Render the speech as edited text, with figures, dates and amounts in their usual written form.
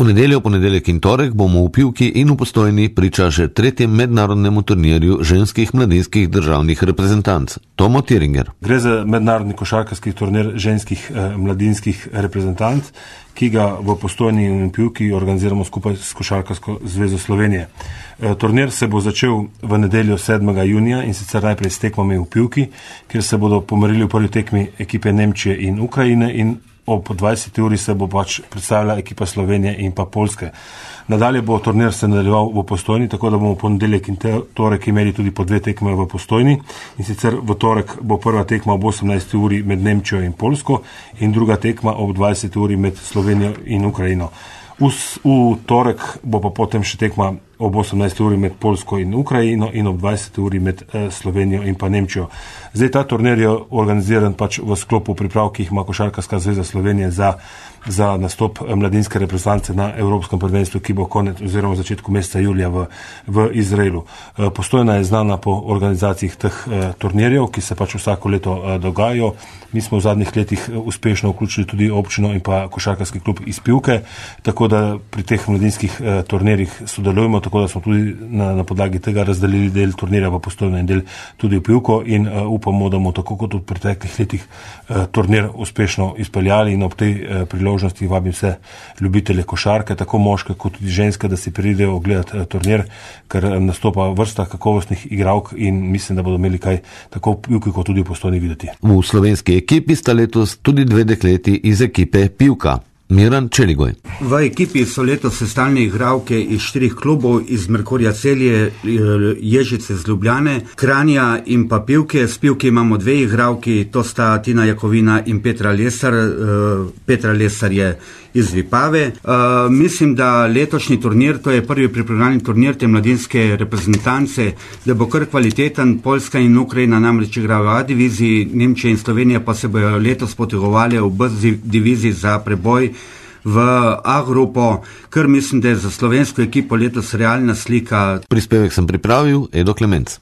V nedeljo, ponedeljek in torek bomo v Pivki in v Postojni priča že tretjem mednarodnemu turnirju ženskih mladinskih državnih reprezentanc. Tomo Tiringer. Gre za mednarodni košarkarski turnir ženskih mladinskih reprezentanc, ki ga v Postojni in v Pivki organiziramo skupaj s Košarkarsko zvezo Slovenije. Turnir se bo začel v nedeljo 7. junija in sicer najprej s tekmami v Pivki, kjer se bodo pomerili v prvi tekmi ekipe Nemčije in Ukrajine in ob 20. uri se bo predstavila ekipa Slovenije in pa Poljske. Nadalje bo turnir se nadaljeval v Postojni, tako da bomo ponedeljek in torek imeli tudi po 2 tekme v Postojni. In sicer v torek bo prva tekma ob 18. uri med Nemčijo in Poljsko in druga tekma ob 20. uri med Slovenijo in Ukrajino. V torek bo pa potem še tekma ob 18. uri med Poljsko in Ukrajino in ob 20. uri med Slovenijo in pa Nemčijo. Zdaj ta turnir je organiziran v sklopu priprav, ki jih ima Košarkarska zveza Slovenije za nastop mladinske reprezentance na Evropskem prvenstvu, ki bo konec oziroma začetku meseca julija v Izraelu. Postojna je znana po organizaciji teh turnirjev, ki se vsako leto dogajajo. Mi smo v zadnjih letih uspešno vključili tudi občino in pa košarkarski klub iz Pivke, tako da pri teh mladinskih turnirjih sodelujemo, tako da smo tudi na podlagi tega razdelili del turnirja v Postojno in del tudi v Pivko in upamo, da bomo tako kot v preteklih letih turnir uspešno izpeljali in ob tej priložnosti vabim vse ljubitelje košarke, tako moške kot tudi ženske, da si pridejo ogledati turnir, ker nastopa vrsta kakovostnih igralk in mislim, da bodo imeli kaj tako v Pivki kot tudi v Postojni videti. V slovenski ekipi sta letos tudi 2 dekleti iz ekipe Pivka. Miran Čeligoj. V ekipi so letos sestavljene igralke iz 4 klubov, iz Merkurja Celje, Ježice z Ljubljane, Kranja in pa Pivke. S Pivke imamo 2 igralki, to sta Tina Jakovina in Petra Lesar. Petra Lesar je iz Vipave. Mislim, da letošnji turnir, to je prvi pripravljalni turnir te mladinske reprezentance, da bo kar kvaliteten. Poljska in Ukrajina namreč igrajo v A diviziji, Nemčija in Slovenija pa se bojo letos potegovali v B diviziji za preboj v A grupo, kar mislim, da je za slovensko ekipo letos realna slika. Prispevek sem pripravil Edo Klemenc.